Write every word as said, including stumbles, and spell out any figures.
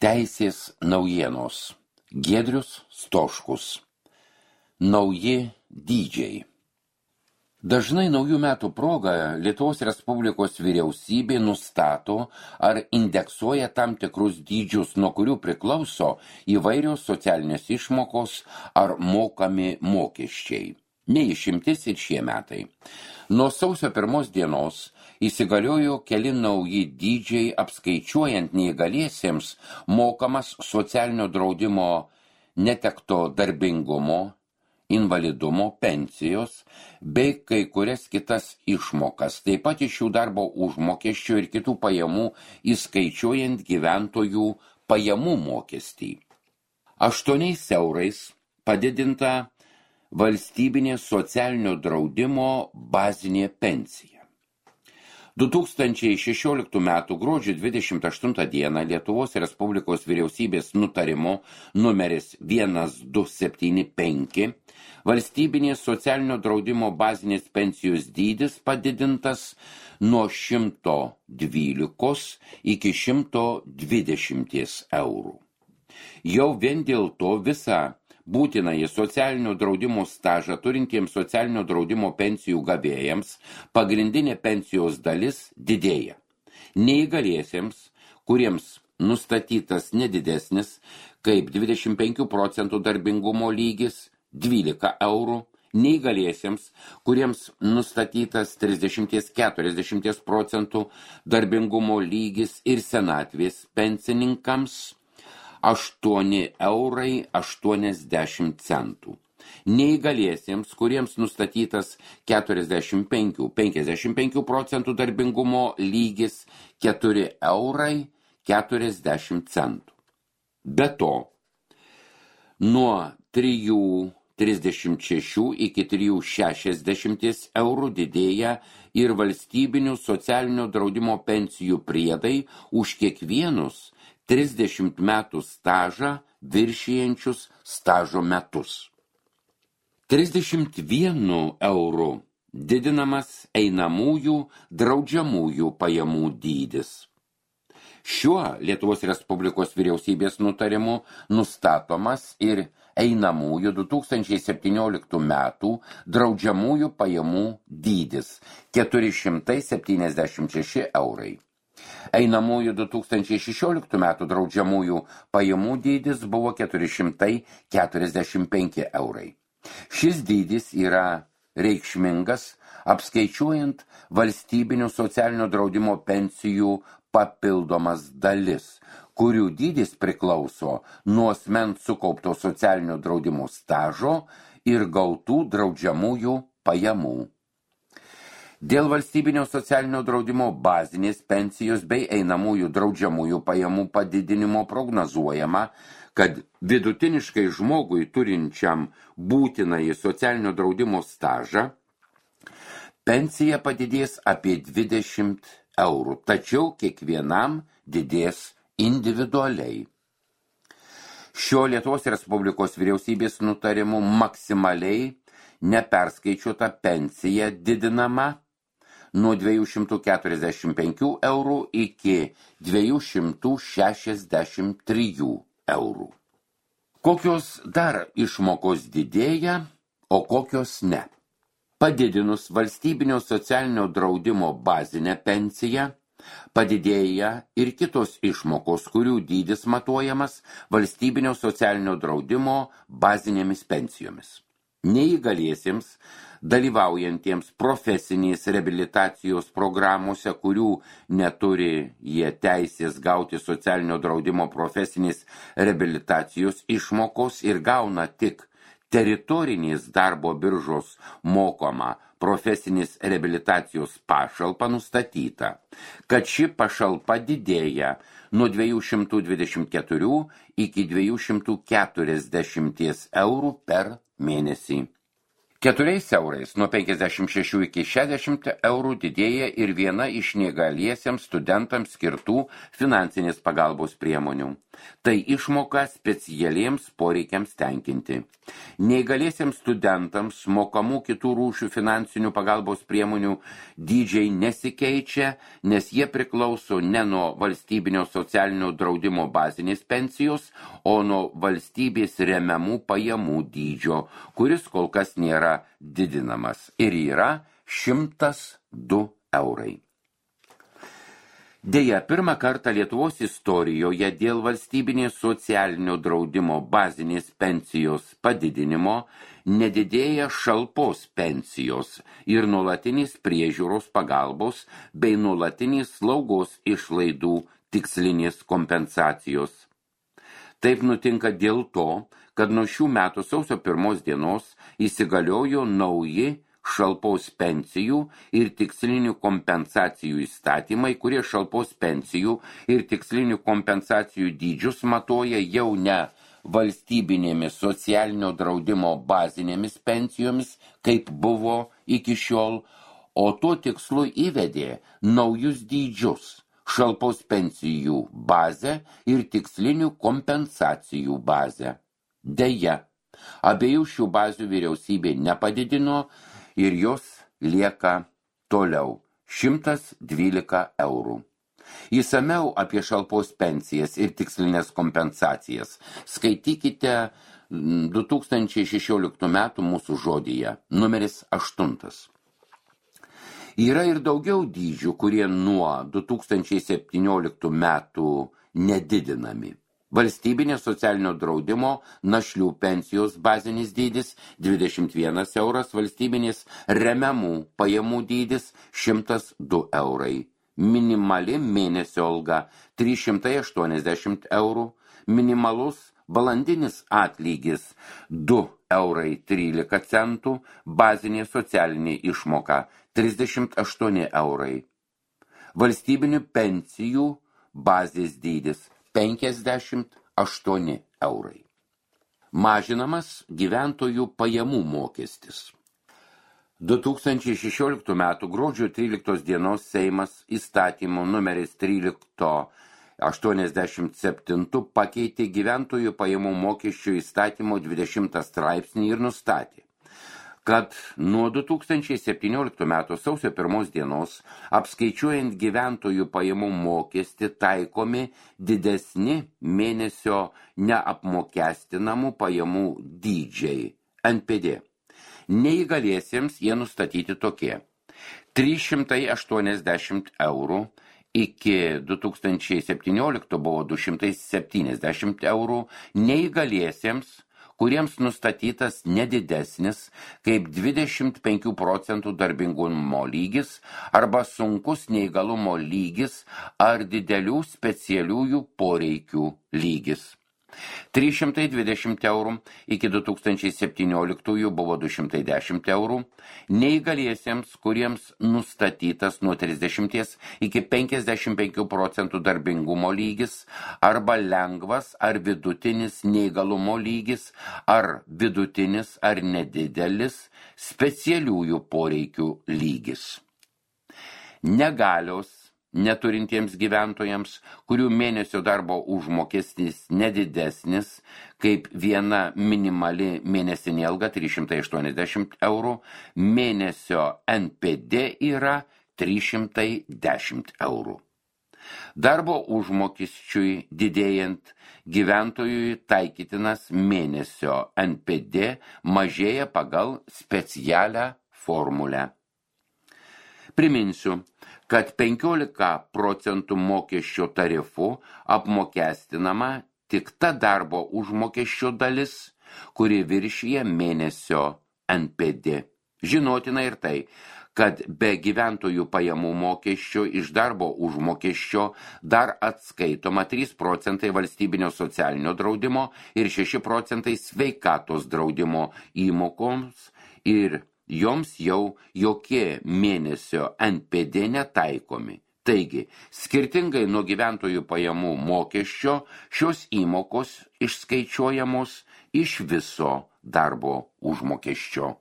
Teisės naujienos. Giedrius Stoškus. Nauji dydžiai. Dažnai naujų metų proga Lietuvos Respublikos vyriausybė nustato ar indeksuoja tam tikrus dydžius, nuo kurių priklauso įvairios socialinės išmokos ar mokami mokesčiai. Neišimtis ir šie metai. Nuo sausio pirmos dienos įsigaliojo keli nauji dydžiai apskaičiuojant neįgaliesiems mokamas socialinio draudimo netekto darbingumo, invalidumo, pensijos bei kai kurias kitas išmokas, taip pat iš jų darbo užmokesčio ir kitų pajamų įskaičiuojant gyventojų pajamų mokestį. Aštuoniais eurais padidinta valstybinė socialinio draudimo bazinė pensija. du tūkstančiai šešioliktų metų gruodžio dvidešimt aštuntą dieną Lietuvos Respublikos vyriausybės nutarimo numeris vienas du septyni penki valstybinės socialinio draudimo bazinės pensijos dydis padidintas nuo šimto dvylikos iki šimto dvidešimt eurų. Jau vien dėl to visą būtinąjį socialinio draudimo stažą turintiems socialinio draudimo pensijų gavėjams pagrindinė pensijos dalis didėja. Neįgaliesiems, kuriems nustatytas nedidesnis kaip dvidešimt penkių procentų darbingumo lygis dvylika eurų, neįgaliesiems, kuriems nustatytas trisdešimt iki keturiasdešimt procentų darbingumo lygis ir senatvės pensininkams aštuoni eurai aštuoniasdešimt centų. Neįgaliesiems, kuriems nustatytas keturiasdešimt penki iki penkiasdešimt penkių procentų darbingumo lygis keturi eurai keturiasdešimt centų. Be to, nuo trijų trisdešimt šešių iki trijų šešiasdešimt eurų didėja ir valstybinių socialinio draudimo pensijų priedai už kiekvienus trisdešimt metų stažą viršijančius stažo metus. trisdešimt vienu euru didinamas einamųjų draudžiamųjų pajamų dydis. Šiuo Lietuvos Respublikos vyriausybės nutarimu nustatomas ir einamųjų du tūkstančiai septynioliktų metų draudžiamųjų pajamų dydis keturi šimtai septyniasdešimt šeši eurai. Einamųjų du tūkstančiai šešioliktų metų draudžiamųjų pajamų dydis buvo keturi šimtai keturiasdešimt penki eurai. Šis dydis yra reikšmingas, apskaičiuojant valstybinio socialinio draudimo pensijų papildomas dalis, kurių dydis priklauso nuo asmens sukaupto socialinio draudimo stažo ir gautų draudžiamųjų pajamų. Dėl valstybinio socialinio draudimo bazinės pensijos bei einamųjų draudžiamųjų pajamų padidinimo prognozuojama, kad vidutiniškai žmogui turinčiam būtinąjį socialinio draudimo stažą pensija padidės apie dvidešimt eurų, tačiau kiekvienam didės individualiai. Šio Lietuvos Respublikos vyriausybės nutarimu maksimaliai neperskaičiuota pensija didinama nuo dviejų šimtų keturiasdešimt penkių eurų iki dviejų šimtų šešiasdešimt trijų eurų. Kokios dar išmokos didėja, o kokios ne? Padidinus valstybinio socialinio draudimo bazinę pensiją, padidėja ir kitos išmokos, kurių dydis matuojamas valstybinio socialinio draudimo bazinėmis pensijomis. Neįgaliesiems, dalyvaujantiems profesinės reabilitacijos programuose, kurių neturi jie teisės gauti socialinio draudimo profesinės reabilitacijos išmokos ir gauna tik teritorinės darbo biržos mokama profesinės reabilitacijos pašalpa nustatyta, kad ši pašalpa didėja nuo dviejų šimtų dvidešimt keturių iki dviejų šimtų keturiasdešimt eurų per mėnesį. Keturiais eurais nuo penkiasdešimt šešių iki šešiasdešimt eurų didėja ir viena iš neįgaliesiems studentams skirtų finansinės pagalbos priemonių. Tai išmoka specialiems poreikiams tenkinti. Neįgaliesiems studentams mokamų kitų rūšių finansinių pagalbos priemonių dydžiai nesikeičia, nes jie priklauso ne nuo valstybinio socialinio draudimo bazinės pensijos, o nuo valstybės remiamų pajamų dydžio, kuris kol kas nėra didinamas ir yra šimtas du eurai. Deja, pirmą kartą Lietuvos istorijoje dėl valstybinės socialinio draudimo bazinės pensijos padidinimo nedidėja šalpos pensijos ir nuolatinės priežiūros pagalbos bei nuolatinės slaugos išlaidų tikslinės kompensacijos. Taip nutinka dėl to, kad nuo šių metų sausio pirmos dienos įsigaliojo nauji šalpos pensijų ir tikslinių kompensacijų įstatymai, kurie šalpos pensijų ir tikslinių kompensacijų dydžius matuoja jau ne valstybinėmis socialinio draudimo bazinėmis pensijomis, kaip buvo iki šiol, o tuo tikslu įvedė naujus dydžius – šalpos pensijų bazę ir tikslinių kompensacijų bazę. Deja, abiejų šių bazių vyriausybė nepadidino ir jos lieka toliau šimtas dvylika eurų. Įsamiau apie šalpos pensijas ir tikslinės kompensacijas skaitykite du tūkstančiai šešioliktų metų mūsų žodyje, numeris aštuntas. Yra ir daugiau dydžių, kurie nuo du tūkstančiai septynioliktų metų nedidinami. Valstybinė socialinio draudimo našlių pensijos bazinis dydis dvidešimt vienas euras, valstybinės remiamų pajamų dydis šimtas du eurai. Minimali mėnesio alga trys šimtai aštuoniasdešimt eurų, minimalus valandinis atlygis du eurai trylika centų, bazinė socialinė išmoka trisdešimt aštuoni eurai. Valstybinių pensijų bazės dydis penkiasdešimt aštuoni eurai. Mažinamas gyventojų pajamų mokestis. du tūkstančiai šešioliktų metų gruodžio tryliktos dienos Seimas įstatymu numeris trylika aštuoniasdešimt septyni pakeitė gyventojų pajamų mokesčio įstatymo dvidešimtą straipsnį ir nustatė, kad nuo du tūkstančiai septynioliktų metų sausio pirmos dienos apskaičiuojant gyventojų pajamų mokestį taikomi didesni mėnesio neapmokestinamų pajamų dydžiai N P D. Neįgaliesiems jie nustatyti tokie: trys šimtai aštuoniasdešimt eurų, iki du tūkstančiai septynioliktų buvo du šimtai septyniasdešimt eurų, neįgaliesiems, kuriems nustatytas nedidesnis kaip dvidešimt penkių procentų darbingumo lygis arba sunkus neįgalumo lygis ar didelių specialiųjų poreikių lygis. trys šimtai dvidešimt eurų, iki du tūkstančiai septynioliktųjų buvo du šimtai dešimt eurų, neįgaliesiems, kuriems nustatytas nuo trisdešimties iki penkiasdešimt penkių procentų darbingumo lygis arba lengvas ar vidutinis neįgalumo lygis ar vidutinis ar nedidelis specialiųjų poreikių lygis. Negalios neturintiems gyventojams, kurių mėnesio darbo užmokestis nedidesnis kaip viena minimali mėnesinė alga trys šimtai aštuoniasdešimt eurų, mėnesio N P D yra trys šimtai dešimt eurų. Darbo užmokesčiui didėjant gyventojui taikytinas mėnesio N P D mažėja pagal specialią formulę. Priminsiu, kad penkiolika procentų mokesčio tarifu apmokestinama tik ta darbo užmokesčio dalis, kuri viršija mėnesio N P D. Žinotina ir tai, kad be gyventojų pajamų mokesčio iš darbo užmokesčio dar atskaitoma trys procentai valstybinio socialinio draudimo ir šeši procentai sveikatos draudimo įmokoms ir joms jau jokie mėnesio N P D netaikomi. Taigi, skirtingai nuo gyventojų pajamų mokesčio, šios įmokos išskaičiuojamos iš viso darbo užmokesčio.